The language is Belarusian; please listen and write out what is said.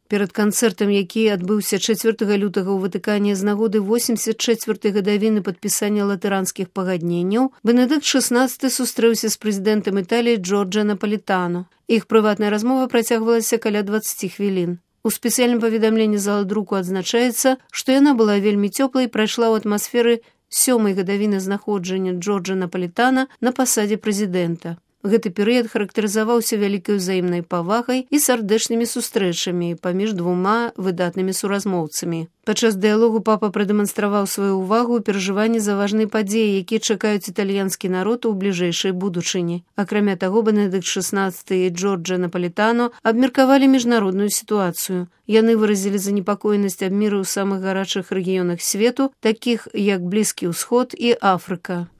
Перад канцэртам, які адбыўся 4 лютага ў Ватыкане з нагоды 84-й гадавіны падпісання латыранскіх пагадненняў, Бенедыкт XVI сустрэўся з прэзідэнтам Італіі Джорджа Напалітано. Іх прыватная размова працягвалася каля 20 хвілін. У спецыяльным паведамленні зала друку адзначаецца, што яна была вельмі цёплай і прайшла ў атмасферы 7-й гадавіны знаходжання Джорджа Напалітана на пасадзе прэзідэнта. Гэты перыяд характарызаваўся вялікай узаемнай павагай і сардэчнымі сустрэчамі паміж двума выдатнымі суразмоўцамі. Падчас дыялогу папа прадэманстраваў сваю ўвагу ў перажыванні за важныя падзеі, якія чакаюць італьянскі народ у бліжэйшай будучыні. Акрамя таго, Бенедыкт XVI і Джорджа Напалітано абмеркавалі міжнародную сітуацыю. Яны выразілі занепакоенасць аб міры ў самых гарачых рэгіёнах свету, такіх як Блізкі ўсход і Афрыка.